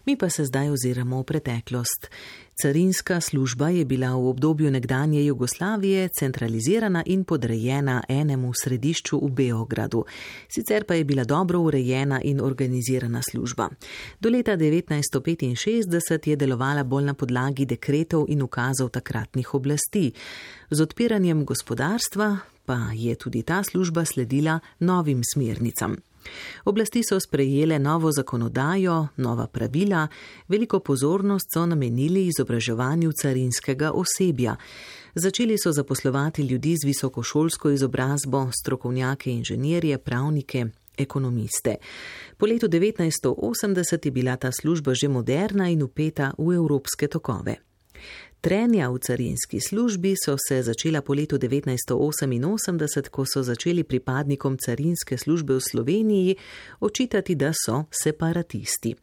Mi pa se zdaj oziramo v preteklost. Carinska služba je bila v obdobju nekdanje Jugoslavije centralizirana in podrejena enemu središču v Beogradu. Sicer pa je bila dobro urejena in organizirana služba. Do leta 1965 je delovala bolj na podlagi dekretov in ukazov takratnih oblasti. Z odpiranjem gospodarstva pa je tudi ta služba sledila novim smernicam. Oblasti so sprejele novo zakonodajo, nova pravila, veliko pozornost so namenili izobraževanju carinskega osebja. Začeli so zaposlovati ljudi z visokošolsko izobrazbo, strokovnjake, inženirje, pravnike, ekonomiste. Po letu 1980 je bila ta služba že moderna in vpeta v evropske tokove. Trenja v carinski službi so se začela po letu 1988, ko so začeli pripadnikom carinske službe v Sloveniji očitati, da so separatisti.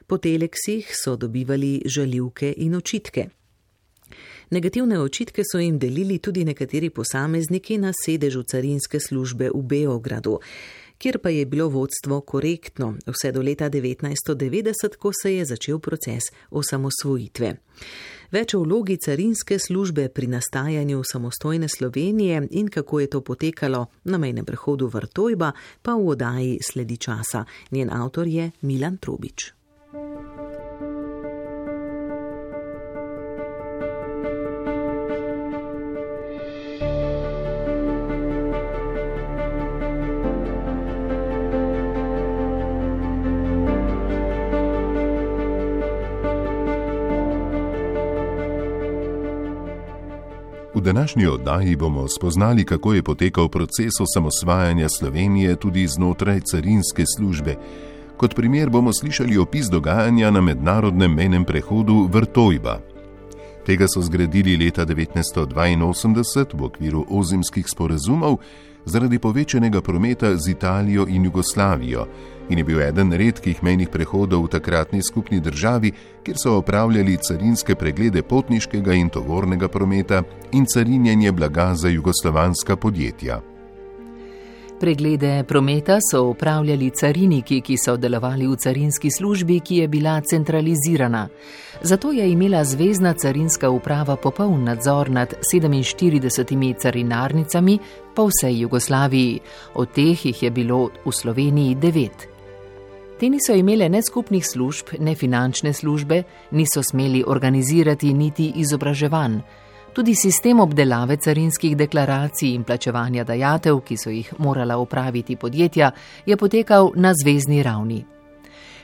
Po teleksih so dobivali žaljivke in očitke. Negativne očitke so jim delili tudi nekateri posamezniki na sedežu carinske službe v Beogradu, kjer pa je bilo vodstvo korektno vse do leta 1990, ko se je začel proces osamosvojitve. Več o vlogi carinske službe pri nastajanju samostojne Slovenije in kako je to potekalo na mejnem prehodu Vrtojba, pa v oddaji Sledi časa. Njen avtor je Milan Trobič. V današnji oddaji bomo spoznali, kako je potekal proces osamosvajanja Slovenije tudi znotraj carinske službe. Kot primer bomo slišali opis dogajanja na mednarodnem mejnem prehodu Vrtojba. Tega so zgradili leta 1982 v okviru ozemskih sporazumov zaradi povečanega prometa z Italijo in Jugoslavijo in je bil eden redkih mejnih prehodov v takratni skupni državi, kjer so opravljali carinske preglede potniškega in tovornega prometa in carinjenje blaga za jugoslovanska podjetja. Preglede prometa so opravljali cariniki, ki so delovali v carinski službi, ki je bila centralizirana. Zato je imela zvezna carinska uprava popoln nadzor nad 47 carinarnicami po vsej Jugoslaviji. Od teh jih je bilo v Sloveniji 9. Te niso imele ne skupnih služb, ne finančne službe, niso smeli organizirati niti izobraževanj. Tudi sistem obdelave carinskih deklaracij in plačevanja dajatev, ki so jih morala opraviti podjetja, je potekal na zvezni ravni.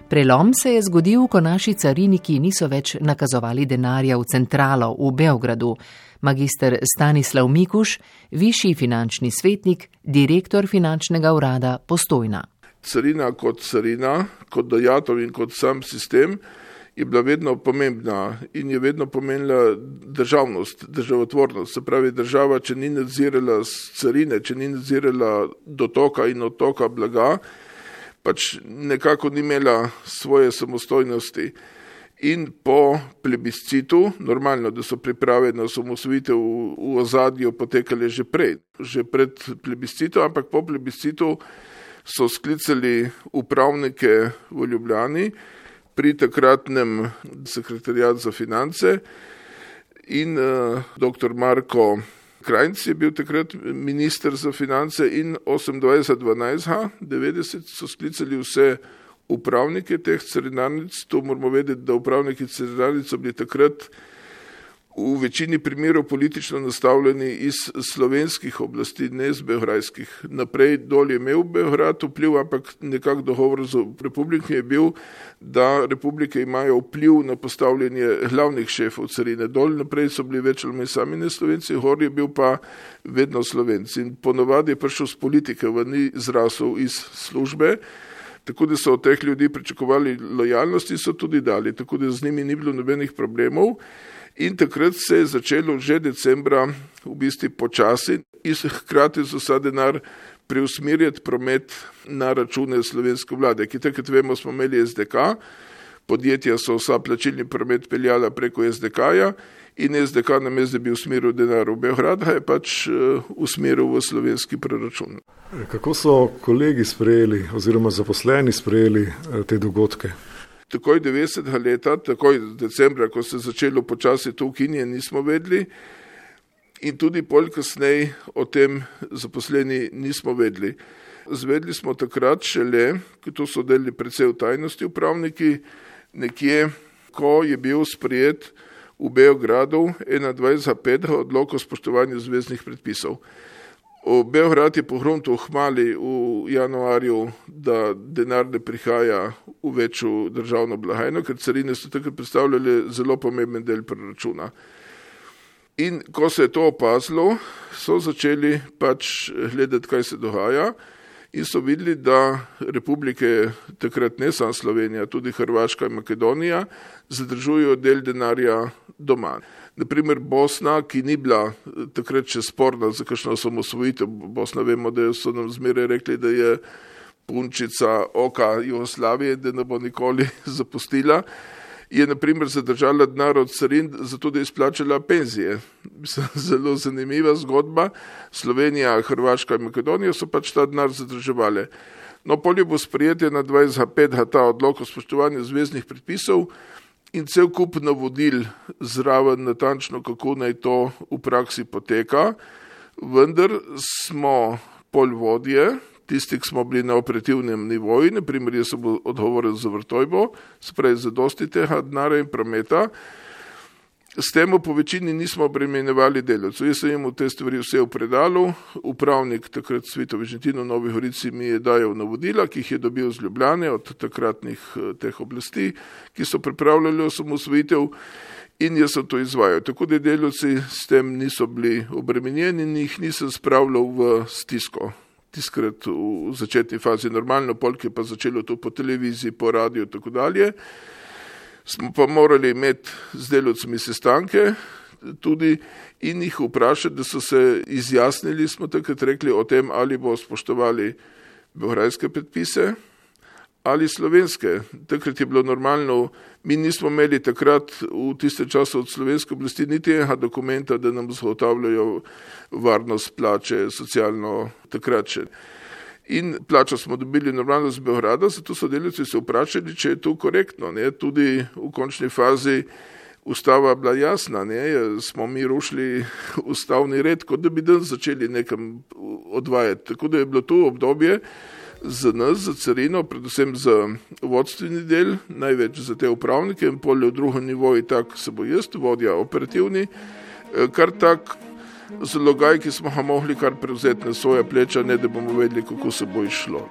Prelom se je zgodil, ko naši cariniki niso več nakazovali denarja v centralo v Beogradu. Magister Stanislav Mikuš, višji finančni svetnik, direktor finančnega urada Postojna. Carina, kot dajatev in kot sam sistem je bila vedno pomembna in je vedno pomenila državnost, državotvornost. Se pravi, država, če ni nadzirala carine, če ni nadzirala dotoka in odtoka blaga, pač nekako ni imela svoje samostojnosti. In po plebiscitu, normalno, da so priprave na osamosvojitev v ozadju potekale že pred plebiscitom, ampak po plebiscitu so sklicali upravnike v Ljubljani pri takratnem sekretariatu za finance in dr. Marko Krajnc je bil takrat minister za finance in 28.12.90 so sklicali vse upravnike teh carinarnic. To moramo vedeti, da upravniki carinarnic so bili takrat v večini primerov politično nastavljeni iz slovenskih oblasti, ne iz beograjskih. Naprej dol je imel Beograd vpliv, ampak nekak dogovor z republike je bil, da republike imajo vpliv na postavljanje glavnih šefov carine. Dol naprej so bili več ali manj sami ne Slovenci, gor je bil pa vedno Slovenci. In ponovadi je prišel z politike, ni zrasel iz službe, tako da so od teh ljudi pričakovali lojalnost in so tudi dali, tako da z njimi ni bilo nobenih problemov. In takrat se je začelo že decembra v bistvu počasi in hkrati so vsa denar preusmerjati promet na račune slovenske vlade, ki takrat vemo smo imeli SDK, podjetja so vsa plačilni promet peljala preko SDK-ja in SDK namesto da bi usmeril denar v Beograd, je pač usmeril v slovenski proračun. Kako so kolegi sprejeli oziroma zaposleni sprejeli te dogodke? Takoj 90. leta, takoj decembra, ko se začelo počasi to ukinjanje, nismo vedeli in tudi pol kasneje o tem zaposleni nismo vedeli. Zvedeli smo takrat šele, ki to so delili precej v tajnosti upravniki, nekje, ko je bil sprejet v Beogradu 21.5. odlok o spoštovanju zveznih predpisov. Beograd je pohrunil hmali v januarju, da denar ne prihaja v večjo državno blagajno, ker carine so takrat predstavljali zelo pomemben del proračuna. In ko se je to opazilo, so začeli pač gledati, kaj se dogaja in so videli, da republike, takrat ne samo Slovenija, tudi Hrvaška in Makedonija, zadržujejo del denarja doma. Naprimer Bosna, ki ni bila takrat še sporna za kakšno osamosvojitev, Bosna vemo, da so nam zmeraj rekli, da je punčica oka Jugoslavije, da ne bo nikoli zapustila, je naprimer zadržala denar od carin, zato da je izplačala penzije. Zelo zanimiva zgodba. Slovenija, Hrvaška in Makedonija so pač ta denar zadrževali. No, polje bo sprejetje na 25. ta odlok o spoštovanju zveznih predpisov in cel kup navodil zraven natančno, kako naj to v praksi poteka, vendar smo polvodje, tisti, ki smo bili na operativnem nivoju, naprimer jaz sem odgovoril za Vrtojbo, sprej za dosti tega denarja in prometa, s tem po večini nismo obremenjevali delavcev. Jaz sem jim v te stvari vse v predalu, upravnik takrat Svito Vižentino v Novi Gorici mi je dajal navodila, ki jih je dobil z Ljubljane od takratnih teh oblasti, ki so pripravljali osamosvojitev in jaz sem to izvajal. Tako da delavci s tem niso bili obremenjeni in jih nisem spravljal v stisko. Tiskrat v začetni fazi normalno, polk je pa začelo to po televiziji, po radiju in tako dalje. Smo pa morali imeti z delavcami sestanke tudi in jih vprašati, da so se izjasnili, smo takrat rekli o tem, ali bo spoštovali beograjske predpise ali slovenske. Takrat je bilo normalno, mi nismo imeli takrat v tiste času od slovenske oblasti niti enega dokumenta, da nam zagotavljajo varnost plače, socialno takrat še. In plačo smo dobili normalno z Beograda, zato so delavci se vprašali, če je to korektno. Ne? Tudi v končni fazi ustava bila jasna, ne? Smo mi rušili ustavni red, kot da bi dan začeli nekam odvajati. Tako da je bilo to obdobje za nas, za carino, predvsem za vodstveni del, največ za te upravnike in polje v drugem nivoju, tak se bo jaz, vodja operativni, kar tak zalogaj, ki smo ga mogli kar prevzeti na svoja pleča, ne da bomo vedeli, kako se bo išlo.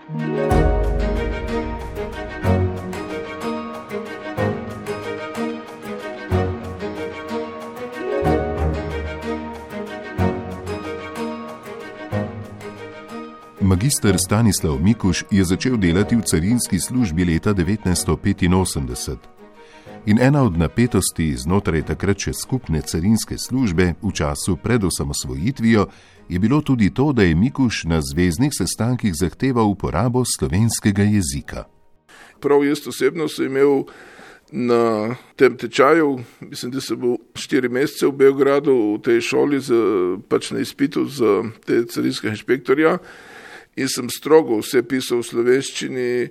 Magister Stanislav Mikuš je začel delati v carinski službi leta 1985. In ena od napetosti znotraj takrat še skupne carinske službe v času pred osamosvojitvijo je bilo tudi to, da je Mikuš na zveznih sestankih zahteval uporabo slovenskega jezika. Prav jaz osebno sem imel na tem tečaju, mislim, da sem bil 4 mesece v Beogradu v tej šoli, pač na izpitu za te carinske inšpektorja in sem strogo vse pisal v slovenščini,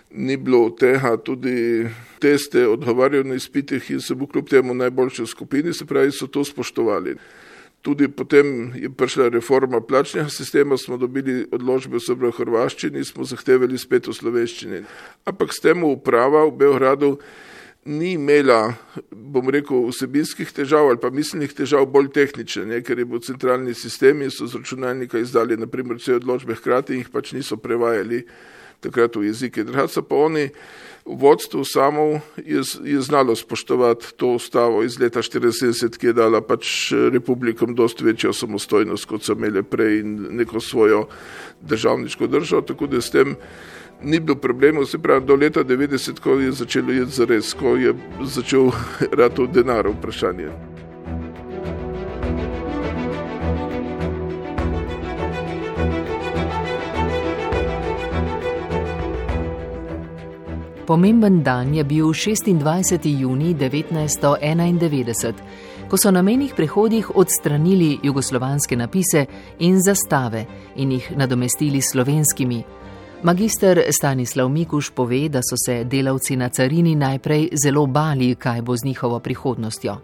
ni bilo tega, tudi teste odgovarjal na izpitih in sem bil kljub temu najboljši v skupini, se pravi, so to spoštovali. Tudi potem je prišla reforma plačnega sistema, smo dobili odločbe v hrvaščini, smo zahtevali spet v slovenščini. Ampak s tem uprava v Beogradu ni imela, bom rekel, vsebinskih težav ali pa miselnih težav, bolj tehnične, ker je bil centralni sistem in so z računalnika izdali naprimer vse odločbe hkrati in jih pač niso prevajali takrat v jezike. Drugače pa oni, vodstvo samo je znalo spoštovati to ustavo iz leta 1974, ki je dala pač republikom dosti večjo samostojnost, kot so imeli prej in neko svojo državniško državo, tako da s tem ni bilo problemov, se pravi do leta 90, ko je začelo jeti zares, ko je začel rati denar vprašanje. Pomemben dan je bil 26. junij 1991, ko so na mejnih prehodih odstranili jugoslovanske napise in zastave in jih nadomestili slovenskimi. Magister Stanislav Mikuš pove, da so se delavci na carini najprej zelo bali, kaj bo z njihovo prihodnostjo.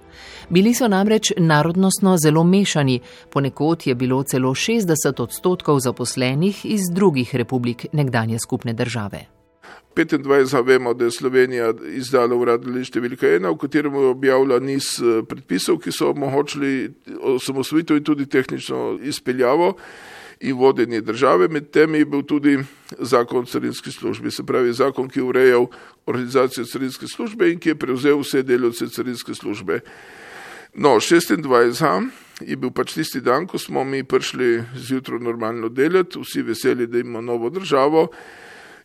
Bili so namreč narodnostno zelo mešani, ponekod je bilo celo 60% zaposlenih iz drugih republik nekdanje skupne države. 25. vemo, da je Slovenija izdala urad številka 1, v katerem je objavila niz predpisov, ki so omogočili osamosvojitev in tudi tehnično izpeljavo in vodenje države. Med temi je bil tudi zakon o carinski službi, se pravi zakon, ki je urejal organizacijo carinske službe in ki je prevzel vse delavce carinske službe. No, 26. je bil pač tisti dan, ko smo mi prišli zjutraj normalno delati, vsi veseli, da imamo novo državo.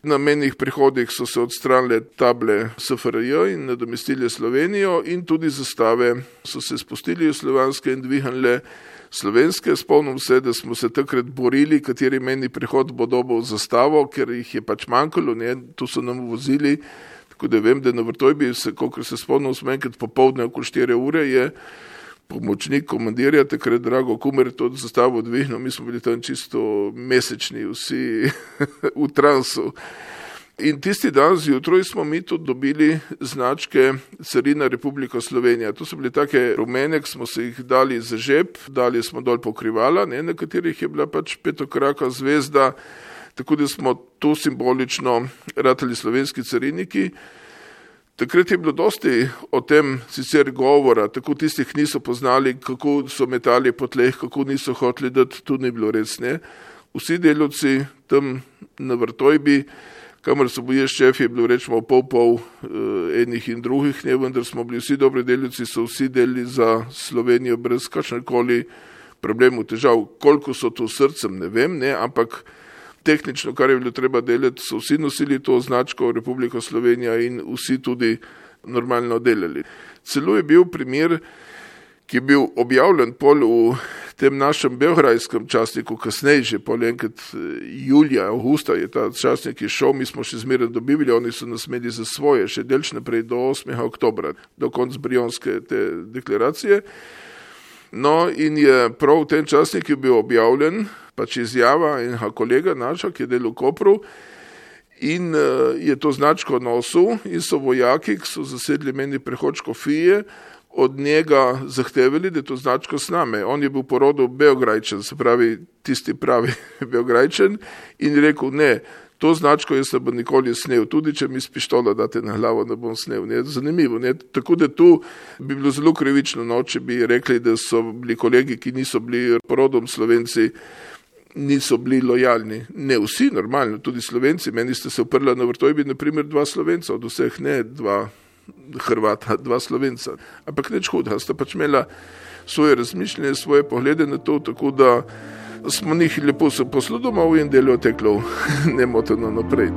Na mejnih prehodih so se odstranile table SFRJ in nadomestili Slovenijo in tudi zastave so se spustili v slovanske in dvignile slovenske. Spomnim se, da smo se takrat borili, kateri mejni prehod bo dobil zastavo, ker jih je pač manjkalo, tu so nam vozili. Tako da vem, da na Vrtojbi, kolikor se spomnim, smo enkrat popoldne okoli 4 ure je pomočnik komandirja, takrat Drago Kumer, to zastavo dvignil, mi smo bili tam čisto mesečni, vsi v transu. In tisti dan zjutraj smo mi tudi dobili značke Carina Republika Slovenija. To so bili take rumene, ki smo se jih dali za žep, dali smo dol pokrivala, na katerih je bila pač petokraka zvezda, tako da smo tu simbolično ratali slovenski cariniki. Takrat je bilo dosti o tem sicer govora, tako tistih niso poznali, kako so metali po tleh, kako niso hoteli dati, tu ni bilo res, ne. Vsi delavci tam na Vrtojbi, kamor so bili šef, je bilo rečemo pol enih in drugih, ne, vendar smo bili vsi dobri delavci, so vsi delili za Slovenijo brez kakšnekoli problemov, težav. Koliko so to srcem, ne vem, ne, ampak tehnično, kar je bilo treba delati, so vsi nosili to označko Republika Slovenija in vsi tudi normalno delali. Celo je bil primer, ki je bil objavljen pol v tem našem beograjskem časniku, kasneje že pol enkrat julija, avgusta je ta časnik šel, mi smo še zmeraj dobivali, oni so nas imeli za svoje, še delč naprej do 8. oktobra, do konca brionske te deklaracije. No in je prav v tem časniku bil objavljen pač izjava enega kolega naša, ki je delal v Kopru in je to značko nosil in so vojaki, ki so zasedli mejni prehod Škofije, od njega zahtevali, da je to značko s nami. On je bil po rodu Beograjčan, se pravi tisti pravi Beograjčan in je rekel, ne, to značko jaz ne bom nikoli snel, tudi če mi s pištola date na glavo, ne bom snel. Ne? Zanimivo, ne? Tako da tu bi bilo zelo krivično, no, če bi rekli, da so bili kolegi, ki niso bili porodom Slovenci, niso bili lojalni. Ne vsi, normalno, tudi Slovenci. Meni ste se uprla na Vrtojbi, naprimer, 2 Slovenca, od vseh ne 2 Hrvata, 2 Slovenca. Ampak nič huda, sta pač imela svoje razmišljanje, svoje poglede na to, tako da smo njih lepo se posludomali in delo teklo nemoteno naprej.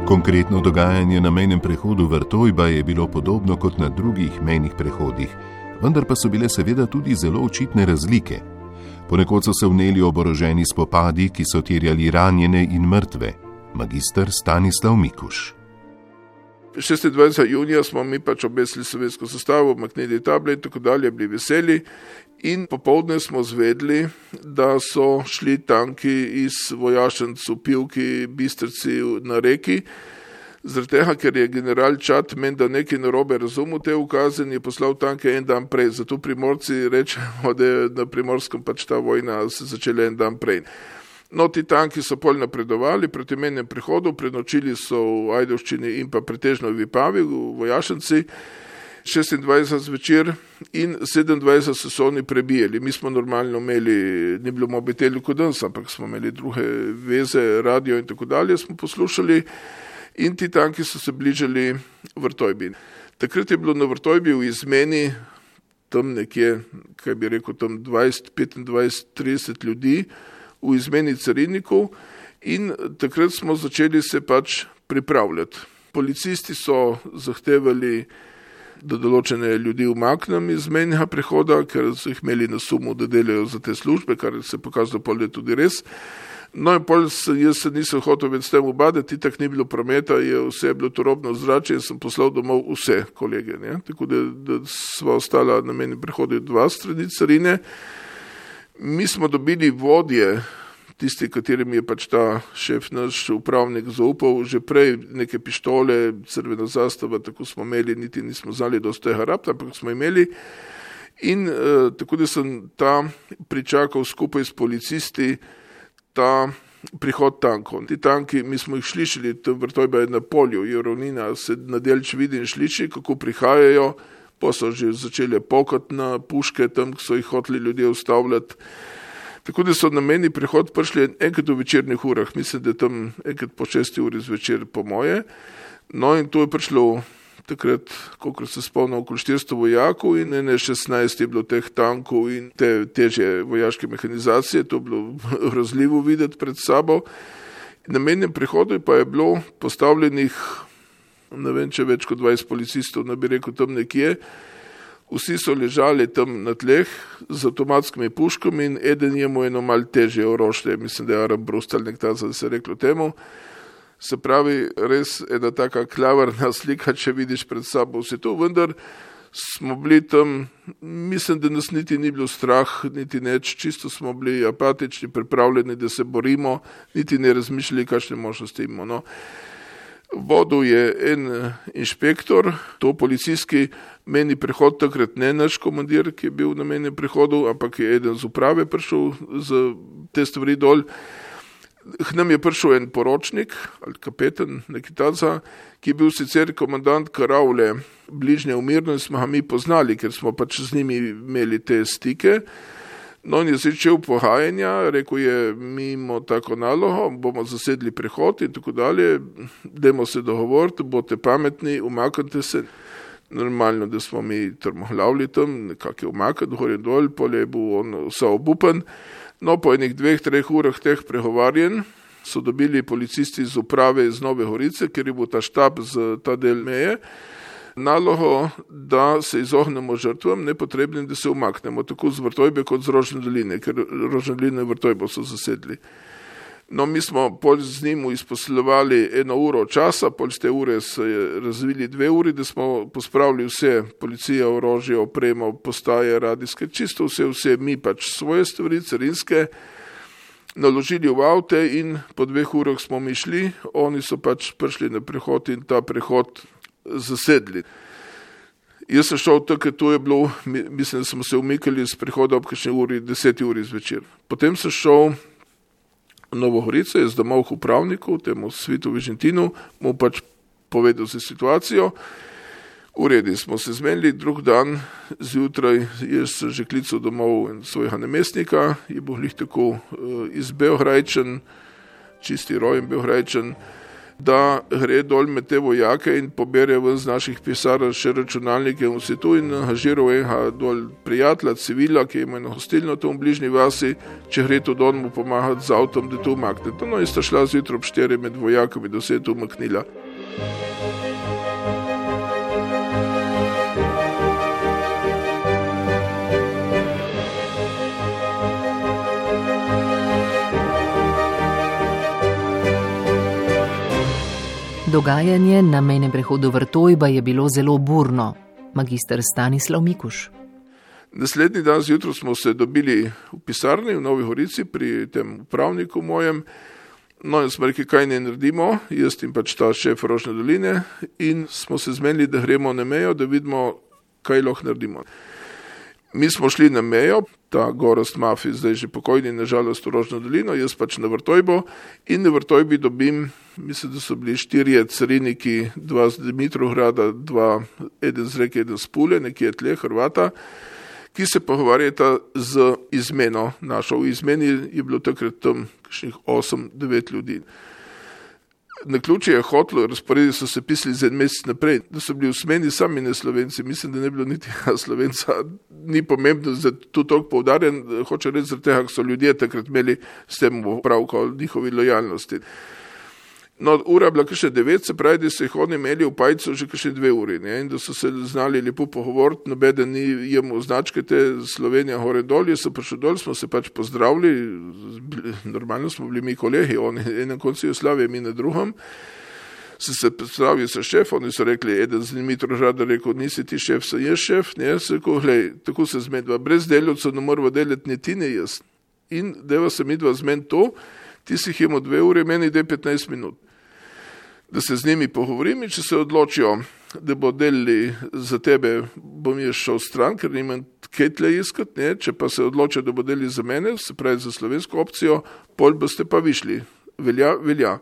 Konkretno dogajanje na mejnem prehodu Vrtojba je bilo podobno kot na drugih mejnih prehodih, vendar pa so bile seveda tudi zelo očitne razlike. Ponekod so se vneli oboroženi spopadi, ki so terjali ranjene in mrtve. Magister Stanislav Mikuš. 26. junija smo mi pač obesili slovensko zastavo, maknili table in tako dalje, bili veseli in popoldne smo zvedli, da so šli tanki iz vojašnic v Pivki, Bistrici na reki, zaradi tega, ker je general Čat menda nekaj narobe razumel te ukaze in je poslal tanke en dan prej. Zato Primorci rečemo, da je na Primorskem pač ta vojna se začela en dan prej. No, ti tanki so pol napredovali proti mejnem prehodu, prenočili so v Ajdovščini in pa pretežno v Vipavi, v vojašnici, 26 zvečer in 27 so oni prebijali. Mi smo normalno imeli, ni bilo mobitelj kot danes, ampak smo imeli druge veze, radio in tako dalje, smo poslušali in ti tanki so se bližali Vrtojbi. Takrat je bilo na Vrtojbi v izmeni tam nekje, kaj bi rekel, tam 20, 25, 30 ljudi, v izmeni carinikov in takrat smo začeli se pač pripravljati. Policisti so zahtevali, da določene ljudi umaknem iz mejnega prehoda, ker so jih imeli na sumu, da delajo za te službe, kar se je pokazalo, da je tudi res. No in pol jaz se nisem hotel več s tem ubadati, tak ni bilo prometa, vse je bilo turobno zrače in sem poslal domov vse kolege. Ne? Tako da sva ostala na mejnem prehodu 2 strani carine. Mi smo dobili vodje, tisti, katerim je pač ta šef, naš upravnik zaupal, že prej neke pištole, crvena zastava, tako smo imeli, niti nismo znali dosti tega rabta, ampak smo imeli. In tako da sem tam pričakal skupaj s policisti ta prihod tankov. Ti tanki, mi smo jih slišali, Vrtojba je na polju, je ravnina, se nadelč vidi in sliši, kako prihajajo, pa so že začeli pokati na puške, tam so jih hoteli ljudje ustavljati. Tako da so na mejni prehod prišli enkrat v večernih urah, mislim, da tam enkrat po 6 uri zvečer po moje. No in to je prišlo takrat, kolikor se spomnim, okoli 400 vojakov in 16 je bilo teh tankov in te težje vojaške mehanizacije, to je bilo razljivo videti pred sabo. Na mejnem prehodu pa je bilo postavljenih, ne vem, če več kot 20 policistov, ne bi rekel tam nekje. Vsi so ležali tam na tleh z avtomatskimi puškami in eden je mu eno malo težje orožje, mislim, da je Armbrust ali nekaj, da se je reklo temu. Se pravi, res ena taka klavrna slika, če vidiš pred sabo vse to, vendar smo bili tam, mislim, da nas niti ni bilo strah, niti neč, čisto smo bili apatični, pripravljeni, da se borimo, niti ne razmišljali, kakšne možnosti imamo. No. Vodil je en inšpektor, to policijski mejni prehod, takrat ne naš komandir, ki je bil na mejnem prehodu, ampak je eden z uprave prišel z te stvari dol. K nam je prišel en poročnik, ali kapetan, neki taca, ki je bil sicer komandant karavle bližnje umirno in smo ga mi poznali, ker smo pač z njimi imeli te stike. No in je začel pohajanja, rekel je, mi imamo tako nalogo, bomo zasedli prehod in tako dalje, dajmo se dogovoriti, boste pametni, umaknite se. Normalno, da smo mi trmohlavili tam, nekak je umakniti, gor in dol, pol je bil on vsa obupan. No, po enih 2-3 urah teh pregovarjen so dobili policisti iz uprave iz Nove Gorice, ker je bil ta štab z ta del meje, nalogo, da se izognemo žrtvam, nepotrebnim, da se umaknemo, tako z Vrtojbe kot z Rožne doline, ker Rožne doline in Vrtojbo so zasedli. No, mi smo pol z njim izposlovali 1 uro časa, pol z te ure se je razvili 2 uri, da smo pospravili vse, policija, orožje, opremo, postaje, radijske, čisto vse, mi pač svoje stvari, carinske, naložili v avte in po 2 urah smo mi šli, oni so pač prišli na prehod in ta prehod zasedli. Jaz sem šel tako, to je bilo, mislim, da smo se umikali z prehoda ob kakšni uri, 10 uri zvečer. Potem sem šel Novo Gorico, jaz domov k upravniku, temu Svitu Vižentinu, mu pač povedal se situacijo. V redu smo se zmenili, drug dan zjutraj, jaz sem že klical domov svojega namestnika, je bil glih tako iz Beograjčan, čisti rojen Beograjčan, da gre dol med te vojake in pobere ven z naših pisarn še računalnike in vse tu in angažiral enega dol prijatelja, civila, ki ima eno hostilno tam v bližnji vasi, če gre to don mu pomagati z avtom, da to umakne. No in sta šla zjutraj ob 4 med vojakami, da se je to umaknila. Dogajanje na mejnem prehodu Vrtojba je bilo zelo burno. Magister Stanislav Mikuš. Naslednji dan zjutraj smo se dobili v pisarni v Novi Gorici pri tem upravniku mojem. No in smo rekli, kaj ne naredimo, jaz in pač ta šef Rožne doline in smo se zmenili, da gremo na mejo, da vidimo, kaj lahko naredimo. Mi smo šli na mejo, ta Gorazd Mafi, zdaj že pokojni, nažalost v Rožno dolino, jaz pač na Vrtojbo in na Vrtojbi dobim, mislim, da so bili 4 cariniki, 2 z Dimitrovgrada, 2, eden z Reke, eden z Pule, nekje tle, Hrvata, ki se pogovarjata z izmeno našo. V izmeni je bilo takrat tam kakšnih 8-9 ljudi. Na ključe je hotlo, razporedi so se pisali za 1 mesec naprej, da so bili v smeni sami ne Slovenci, mislim, da ne bilo niti Slovenca, ni pomembno, da tu toliko poudarjen, hoče reči zaradi tega, so ljudje takrat imeli s tem opravko o njihovi lojalnosti. No, ura bila kakšne 9, se pravi, da so jih oni imeli v pajcu že kakšne 2 uri, ne, in da so se znali lepo pogovoriti, nobeden ni jemo značke te Slovenija hore dol, jaz sem prišel dol, smo se pač pozdravili, normalno smo bili mi kolegi, oni enem koncu Jugoslavije, mi na drugem, se predstavil sa šef, oni so rekli, eden z Mitro Žadar rekel, nisi ti šef, sem jaz šef, ne, se rekel, glej, tako se zmedva, brez delavcev ne morava delati ni ti, ne jaz, in deva se midva zmen to, ti si jih imel 2 ure, meni ide 15 minut. Da se z njimi pogovorim in če se odločijo, da bo delili za tebe, bom jaz šel stran, ker nimam kaj tle iskat, ne? Če pa se odločijo, da bo delili za mene, se pravi za slovensko opcijo, pol boste pa višli. Velja.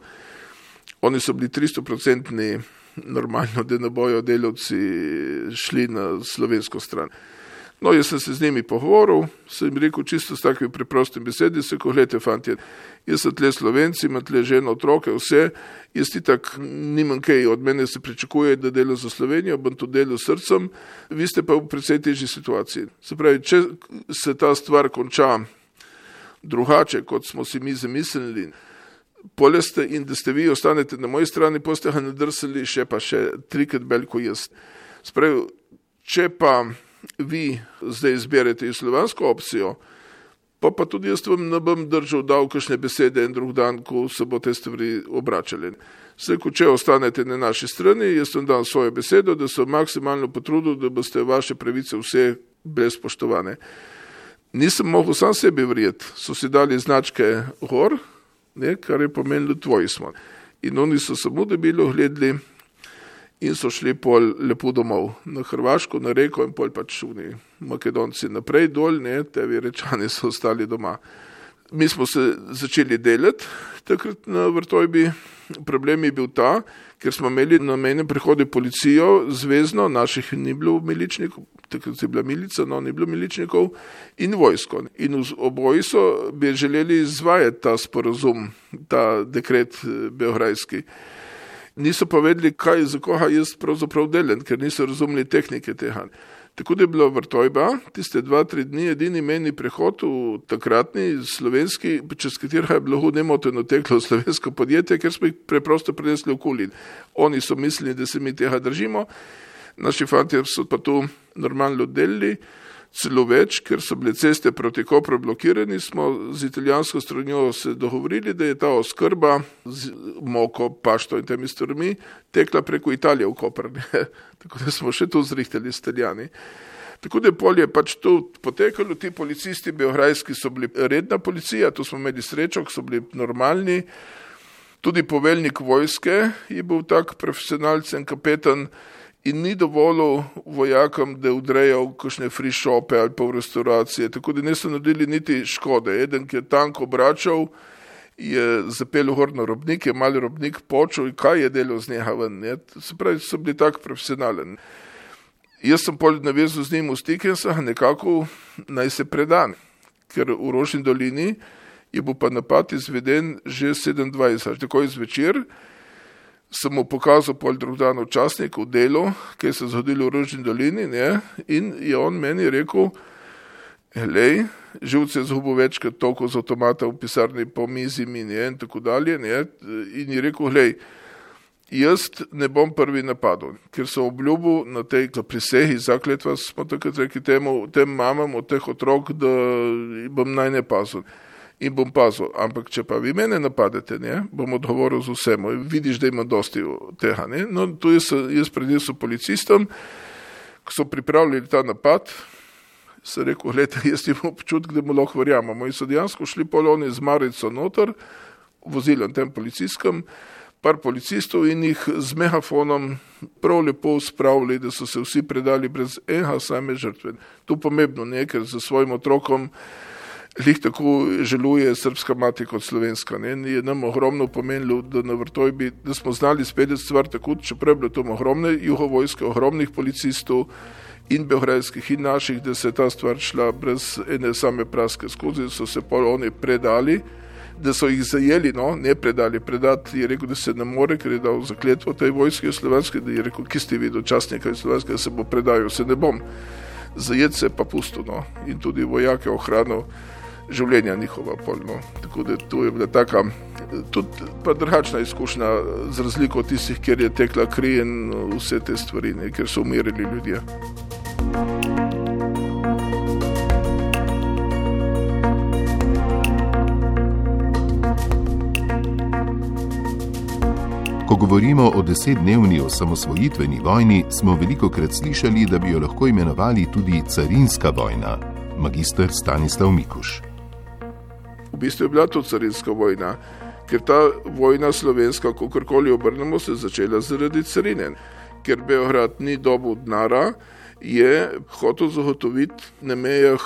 Oni so bili 300% normalno, da ne bojo delavci šli na slovensko stran. No, jaz sem se z njimi pogovoril, sem jim rekel čisto s takimi preprostim besedi, se ko gledajte, fantje, jaz sem tle Slovenci, imam tle ženo, otroke, vse, jaz ti tak nimam kaj, od mene se pričakuje, da delam za Slovenijo, bom to delal srcem, vi ste pa v precej težji situaciji. Se pravi, če se ta stvar konča drugače, kot smo si mi zamislili, poleste in da ste vi ostanete na moji strani, pa ste ga nadrsali še 3krat veliko jaz. Se pravi, če pa vi zdaj izberete slovansko opcijo, pa tudi jaz vam ne bom držal dal kakšne besede en drug dan, ko se bo te stvari obračali. Ko če ostanete na naši strani, jaz vam dam svojo besedo, da se maksimalno potrudil, da boste vaše pravice vse brez spoštovane. Nisem mogel sam sebi verjeti, so si dali značke gor, ne, kar je pomenilo tvoji smo. In oni so samo debilo gledali in so šli pol lepo domov na Hrvaško, na Reko in pol pač šuni Makedonci naprej dol, ne, tevi Rečani so ostali doma. Mi smo se začeli delati takrat na Vrtojbi. Problem je bil ta, ker smo imeli na mejnem prehodu policijo zvezno, naših ni bilo miličnikov, takrat je bila milica, no ni bilo miličnikov, in vojsko. In oboji so bi želeli izvajati ta sporazum, ta dekret beograjski. Niso pa vedeli, kaj za koga jaz pravzaprav delam, ker niso razumeli tehnike tega. Tako da je bila Vrtojba, tiste 2-3 dni edini mejni prehod v takratni slovenski, čez katerega je bilo nemoteno teklo slovensko podjetje, ker smo jih preprosto prenesli okoli. Oni so mislili, da se mi tega držimo, naši fantje so pa tu normalno delili, celo več, ker so bile ceste proti Kopru blokirani, smo z italijansko stranjo se dogovorili, da je ta oskrba z moko, pašto in temi stvarmi tekla preko Italije v Kopr. Tako da smo še tu zrihtali s Italijani. Tako da pol je pač tu potekalo, ti policisti beograjski so bili redna policija, tu smo imeli srečo, so bili normalni. Tudi poveljnik vojske je bil tak profesionalcen kapetan, in ni dovolil vojakom, da udrejo kakšne free shope ali pa v restauracije, tako da niso naredili niti škode. Eden, ki je tank obračal, je zapel gor na robnik, je mali robnik počel in kaj je delal z njega ven. Ne? Se pravi, so bili tak profesionalen. Jaz sem pol navezal z njim v stik in sem nekako naj se predan, ker v Rožni dolini je bil pa napad izveden že 27, tako zvečer. Sem mu pokazal pol drug dan v časniku delo, kaj se je zgodilo v Rožni dolini, ne? In je on meni rekel, glej, živce je zgubil večkrat toliko z avtomata v pisarni po mizi mi, ne? In tako dalje, ne? In je rekel, glej, jaz ne bom prvi napadel, ker so obljubil na tej prisegi, zakletva smo takrat rekli tem mamam od teh otrok, da bom naj ne pazil. In bom pazil, ampak če pa vi mene napadete, ne, bom odgovoril z vsem. Vidiš, da ima dosti tega. Ne. No, tu jaz prednesel policistom, ko so pripravljali ta napad, sem rekel, gledajte, jaz imam občutek, da mu lahko verjamemo. In so dejansko šli poloni z Marico noter, vozilom tem policistom, par policistov in jih z megafonom prav lepo spravili, da so se vsi predali brez enega same žrtve. To pomembno, ne, ker za svojim otrokom lih tako želuje srpska mati kot slovenska. Ne? Je nam ogromno pomenilo, da na Vrtojbi, da smo znali speljati stvar tako, čeprav bilo to ogromne jugovojske, ogromnih policistov in beograjskih in naših, da se je ta stvar šla brez ene same praske skozi, so se pol oni predali, da so jih zajeli, no, ne predali, predati je rekel, da se ne more, ker je dal zakletvo tej vojski slovenske, da je rekel, ki ste vi dočasnika slovenske, da se bo predajal, se ne bom. Zajet se pa pusto, no, in tudi vojake ohranil. življenja njihova polno. Tako da to je bila taka tudi pa drugačna izkušnja, z razliko od tistih, kjer je tekla kri in vse te stvari, ne, kjer so umirili ljudje. Ko govorimo o 10-dnevni osamosvojitveni vojni, smo velikokrat slišali, da bi jo lahko imenovali tudi carinska vojna. Magister Stanislav Mikuš. V bistvu je bila to carinska vojna, ker ta vojna slovenska, kakorkoli obrnemo, se začela zaradi carine. Ker Beograd ni dobil denarja, je hotel zagotoviti na mejah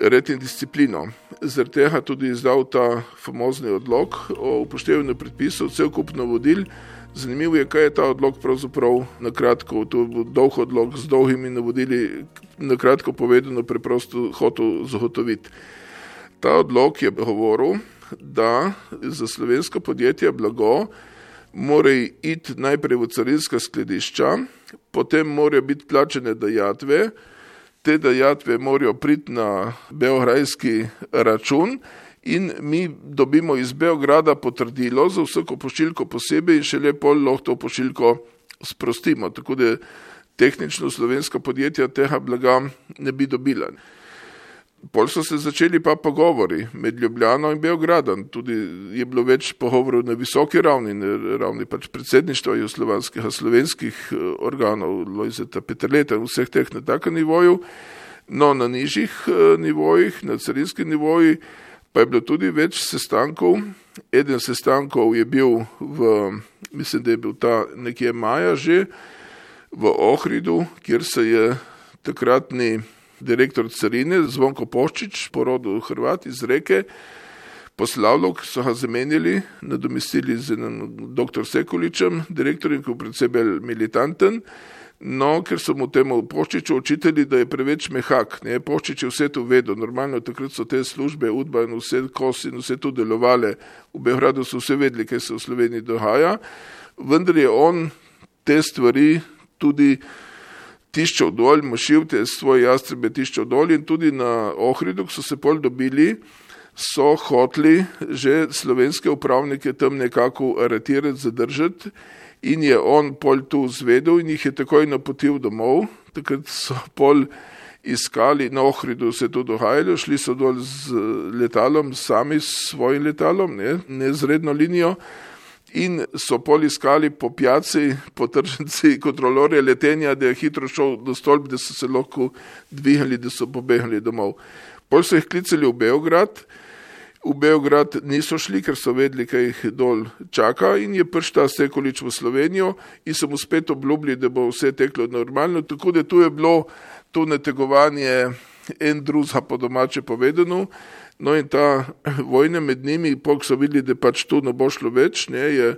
red in disciplino. Zaradi tega tudi izdal ta famozni odlok o upoštevanju predpisov, cel kup navodil. Zanimivo je, kaj je ta odlok pravzaprav nakratko, to je dolg odlok z dolgimi navodili, nakratko povedano preprosto hotel zagotoviti. Ta odlok je govoril, da za slovenska podjetja blago mora iti najprej v carinska skladišča, potem morajo biti plačene dajatve, te dajatve morajo priti na beograjski račun in mi dobimo iz Beograda potrdilo za vsako pošiljko posebej in šele pol lahko to pošiljko sprostimo. Tako da tehnično slovenska podjetja tega blaga ne bi dobila. Pol so se začeli pa pogovori med Ljubljano in Beogradom. Tudi je bilo več pogovorov na visoki ravni, na ravni pač predsedništva jugoslovanskih, slovenskih organov, Lojzeta Peterleta in vseh teh na takem nivoju. No, na nižjih nivojih, na carinskih nivojih, pa je bilo tudi več sestankov. Eden sestankov je bil mislim, da je bil ta nekje maja že, v Ohridu, kjer se je takratni direktor carine Zvonko Poščič, porodil Hrvat iz Reke, poslavljal, so ga zamenjali, nadomestili z dr. Sekuličem, direktorjem, ki je predvsej bolj militanten, no, ker so mu temu Poščiču očitali, da je preveč mehak. Ne? Poščič je vse to vedel, normalno takrat so te službe, UDBA in vse KOS in vse to delovale, v Beogradu so vse vedeli, kaj se v Sloveniji dogaja, vendar je on te stvari tudi tiščal dol, mašil te svoje jastrebe tiščal dol in tudi na Ohridu, ko so se pol dobili, so hoteli že slovenske upravnike tam nekako aretirati, zadržati in je on pol tu zvedel in jih je takoj napotil domov. Takrat so pol iskali, na Ohridu se to dogajalo, šli so dol z letalom, sami s svojim letalom, ne z redno linijo, in so pol iskali po pijaci, po tržnici kontrolorje letenja, da je hitro šel do stolp, da so se lahko dvigali, da so pobegali domov. Pol so jih klicali v Beograd. V Beograd niso šli, ker so vedeli, kaj jih dol čaka in je prišel ta Sekulič v Slovenijo in so mu spet obljubili, da bo vse teklo normalno. Tako da tu je bilo to nategovanje en drugega po domače povedano. No in ta vojna med njimi, pok so videli, da pač tu ne bo šlo več, je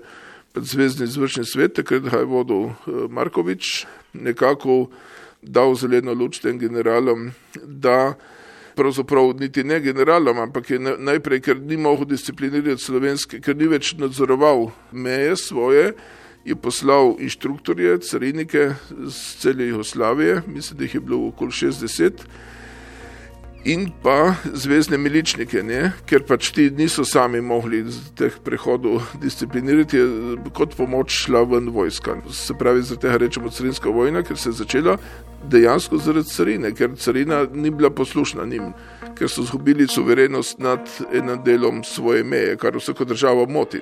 pač Zvezni izvršni svet, takrat ga je vodil Markovič, nekako dal zeleno luč tem generalom, da pravzaprav niti ne generalom, ampak je najprej, ker ni mogel disciplinirati slovenske, ker ni več nadzoroval meje svoje, je poslal inštruktorje, carinike z cele Jugoslavije, mislim, da jih je bilo okoli 60, in pa zvezne miličnike, ker pač ti niso sami mogli teh prehodov disciplinirati, je kot pomoč šla ven vojska. Se pravi, zaradi tega rečemo carinska vojna, ker se je začela dejansko zaradi carine, ker carina ni bila poslušna njim, ker so zgubili suverenost nad enim delom svoje meje, kar vsako državo moti.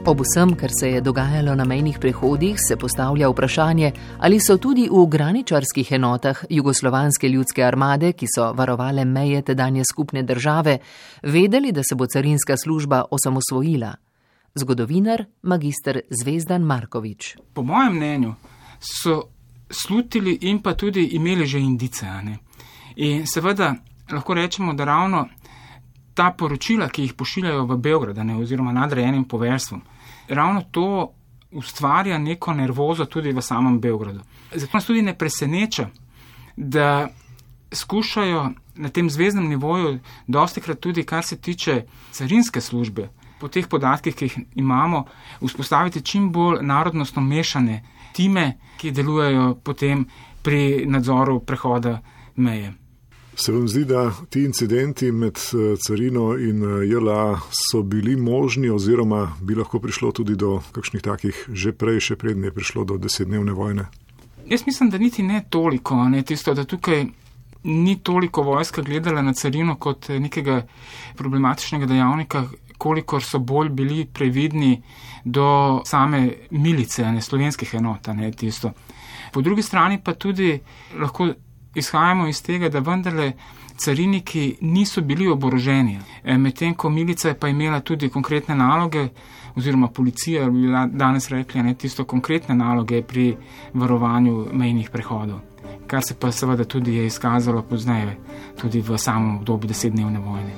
Ob vsem, kar se je dogajalo na mejnih prehodih, se postavlja vprašanje, ali so tudi v graničarskih enotah Jugoslovanske ljudske armade, ki so varovale meje tedanje skupne države, vedeli, da se bo carinska služba osamosvojila. Zgodovinar magister Zvezdan Markovič. Po mojem mnenju so slutili in pa tudi imeli že indice. In seveda lahko rečemo, da ravno ta poročila, ki jih pošiljajo v Beograd, oziroma nadrejenim poveljstvom, ravno to ustvarja neko nervozo tudi v samem Beogradu. Zato nas tudi ne preseneča, da skušajo na tem zvezdnem nivoju dostikrat tudi, kar se tiče carinske službe, po teh podatkih, ki jih imamo, vzpostaviti čim bolj narodnostno mešane time, ki delujejo potem pri nadzoru prehoda meje. Se vam zdi, da ti incidenti med carino in JLA so bili možni oziroma bi lahko prišlo tudi do kakšnih takih že prej, še prednje je prišlo do 10-dnevne vojne? Jaz mislim, da niti ne toliko, tisto, da tukaj ni toliko vojska gledala na carino kot nekega problematičnega dejavnika, kolikor so bolj bili previdni do same milice, slovenskih enot, tisto. Po drugi strani pa tudi lahko izhajamo iz tega, da vendarle cariniki niso bili oboroženi, medtem ko milica je pa imela tudi konkretne naloge, oziroma policija bi danes rekli, tisto konkretne naloge pri varovanju mejnih prehodov, kar se pa seveda tudi je izkazalo pozneje, tudi v samem obdobju 10-dnevne vojne.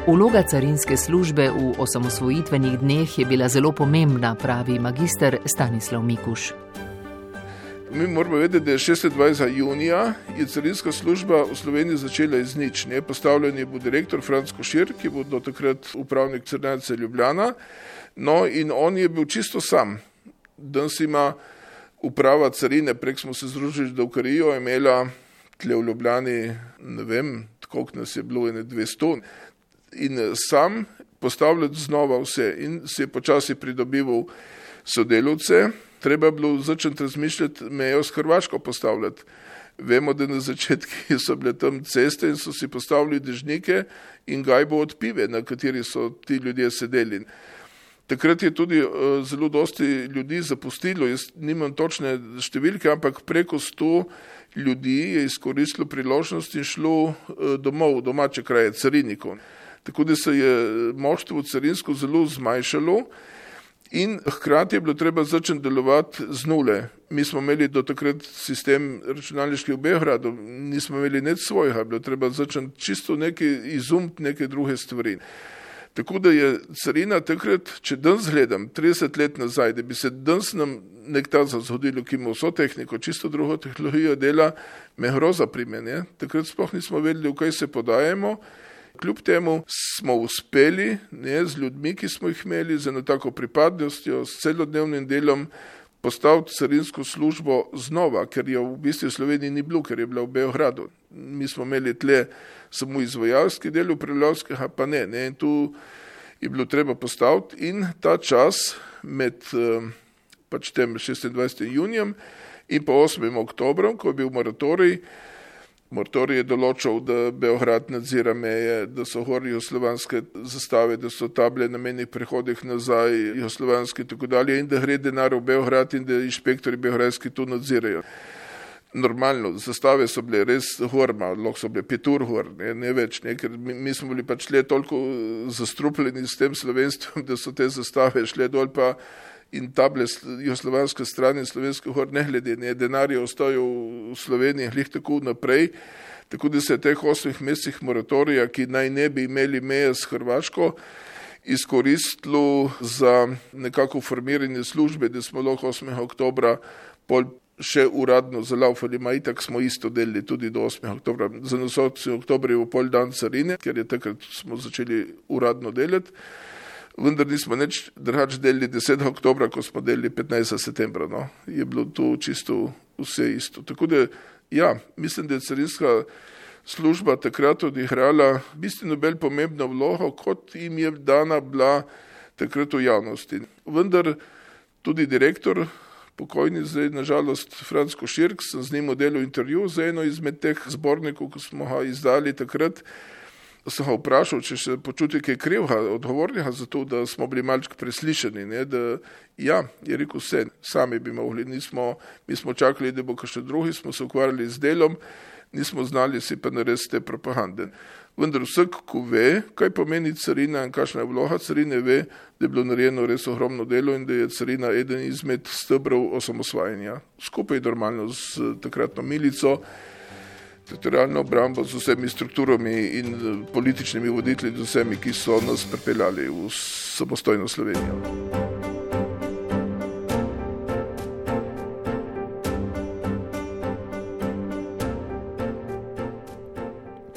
Vloga carinske službe v osamosvojitvenih dneh je bila zelo pomembna, pravi magister Stanislav Mikuš. Mi moramo vedeti, da je 26. junija je carinska služba v Sloveniji začela iz nič. Postavljen je bil direktor Franc Košir, ki bo do takrat upravnik Carinarnice Ljubljana. In on je bil čisto sam. Danes ima uprava carine, prek smo se združili z Davkarijo, imela tle v Ljubljani, ne vem, koliko nas je bilo, 200. In sam postavljati znova vse in se je počasi pridobival sodelavce. Treba je bilo začeti razmišljati mejo s Hrvaško postavljati. Vemo, da na začetki so bile tam ceste in so si postavili dežnike in gajbo od pive, na kateri so ti ljudje sedeli. Takrat je tudi zelo dosti ljudi zapustilo, jaz nimam točne številke, ampak preko 100 ljudi je izkoristilo priložnost in šlo domov, domače kraje, carinikov. Tako da se je moštvo carinsko zelo zmanjšalo in hkrati je bilo treba začeti delovati z nule. Mi smo imeli do takrat sistem računalniški v Beogradu, nismo imeli nič svojega, bilo treba začeti čisto izumiti neke druge stvari. Tako da je carina takrat, če danes gledam, 30 let nazaj, da bi se danes nam nekaj zgodilo, ki ima vso tehniko, čisto drugo tehnologijo dela, me groza primenje. Takrat sploh nismo vedeli, v kaj se podajemo. Kljub temu smo uspeli z ljudmi, ki smo jih imeli, z eno tako pripadnostjo, s celodnevnim delom postaviti carinsko službo znova, ker jo v bistvu v Sloveniji ni bilo, ker je bila v Beogradu. Mi smo imeli tle samo izvajalski del, upravljavskega pa ne. In tu je bilo treba postaviti in ta čas med tem 26. junijem in pa 8. oktobrom, ko je bil moratorij, je določal, da Beograd nadzira meje, da so gor jugoslovanske zastave, da so table na mejnih prehodih nazaj jugoslovanske in tako dalje in da gre denar v Beograd in da inšpektori beograjski to nadzirajo. Normalno, zastave so bile res gor, lahko so bile 5 ur gor, ne več, ker mi smo bili pač le toliko zastrupljeni s tem slovenstvom, da so te zastave šle dol pa in table jugoslovanske strani in slovenske gor ne glede, denar je ostajal v Sloveniji glih tako naprej, tako da se je teh 8 mesecih moratorija, ki naj ne bi imeli meje s Hrvaško, izkoristilo za nekako formiranje službe, da smo lahko 8. oktobra pol še uradno zalaufali, itak smo isto delili tudi do 8. oktobra. Za nas 8. oktober je v pol dan carine, ker je takrat smo začeli uradno delati. Vendar nismo nič drugače delili 10. oktobra, ko smo delili 15. septembra. Je bilo to čisto vse isto. Tako da, mislim, da je carinska služba takrat odigrala bistveno bolj pomembno vlogo, kot jim je dana bila takrat v javnosti. Vendar tudi direktor, pokojni zdaj, nažalost, Franc Košir, sem z njim delal intervju za eno izmed teh zbornikov, ko smo ga izdali takrat, sem ga vprašal, če se počuti kaj krivega, odgovornega za to, da smo bili malček preslišani, je rekel vse, sami bi mogli, mi smo čakali, da bo kakšen drugi, smo se ukvarjali z delom, nismo znali si pa narediti te propagande. Vendar vsak, ko ve, kaj pomeni carina in kakšna je vloga carine, ve, da je bilo narejeno res ogromno delo in da je carina eden izmed stebrov osamosvajanja. Skupaj normalno s takratno milico, teritorialno obrambo z vsemi strukturami in političnimi voditelji, z vsemi, ki so nas pripeljali v samostojno Slovenijo.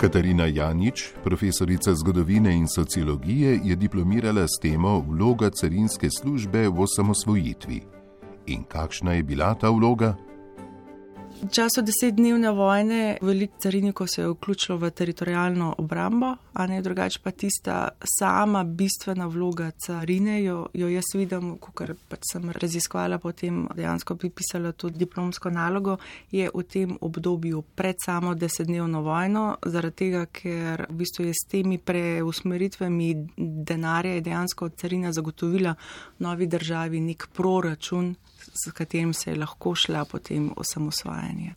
Katarina Janič, profesorica zgodovine in sociologije, je diplomirala s temo Vloga carinske službe v osamosvojitvi. In kakšna je bila ta vloga? V času 10-dnevne vojne veliko carinikov se je vključilo v teritorialno obrambo, a ne drugače pa tista sama bistvena vloga carine, jo jaz vidim, ker pač sem raziskovala, potem dejansko bi pisala tudi diplomsko nalogo, je v tem obdobju pred samo 10-dnevno vojno, zaradi tega, ker v bistvu je s temi preusmeritvami denarja je dejansko carina zagotovila novi državi nek proračun, s katerim se je lahko šla potem osamosvajanje.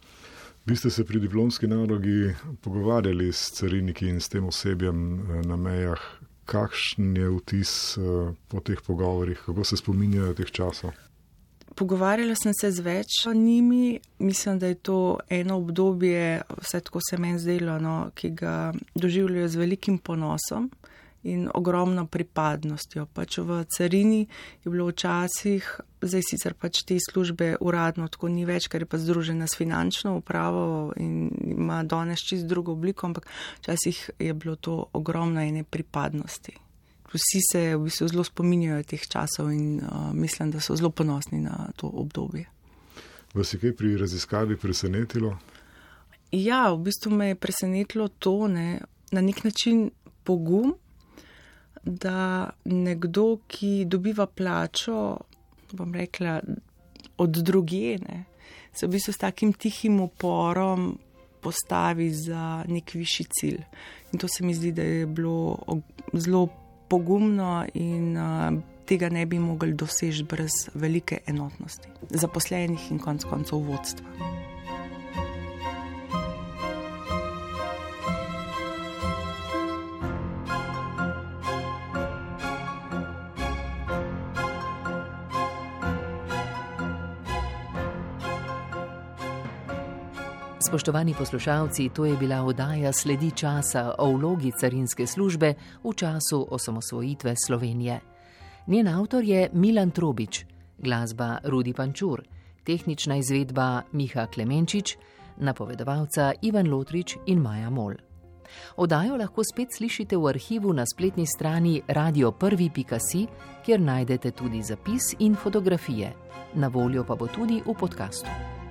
Vi ste se pri diplomski nalogi pogovarjali s cariniki in s tem osebjem na mejah. Kakšen je vtis po teh pogovorih? Kako se spominjajo teh časov? Pogovarjala sem se z več njimi. Mislim, da je to eno obdobje, vse tako se meni zdelo, ki ga doživljajo z velikim ponosom in ogromno pripadnostjo. Pač v carini je bilo včasih, zdaj sicer pač te službe uradno tako ni več, ker je pa združena s finančno upravo in ima danes čisto drugo obliko, ampak včasih je bilo to ogromno ene pripadnosti. Vsi se v bistvu zelo spominjajo teh časov in mislim, da so zelo ponosni na to obdobje. Vas je kaj pri raziskavi presenetilo? Ja, v bistvu me je presenetilo to, na nek način pogum, da nekdo, ki dobiva plačo, bom rekla, od drugje, se v bistvu s takim tihim uporom postavi za nek višji cilj. In to se mi zdi, da je bilo zelo pogumno in tega ne bi mogli doseči brez velike enotnosti zaposlenih in konec koncev vodstva. Spoštovani poslušalci, to je bila oddaja Sledi časa o vlogi carinske službe v času osamosvojitve Slovenije. Njen avtor je Milan Trobič, glasba Rudi Pančur, tehnična izvedba Miha Klemenčič, napovedovalca Ivan Lotrič in Maja Mol. Oddajo lahko spet slišite v arhivu na spletni strani radio1.si, kjer najdete tudi zapis in fotografije. Na voljo pa bo tudi v podkastu.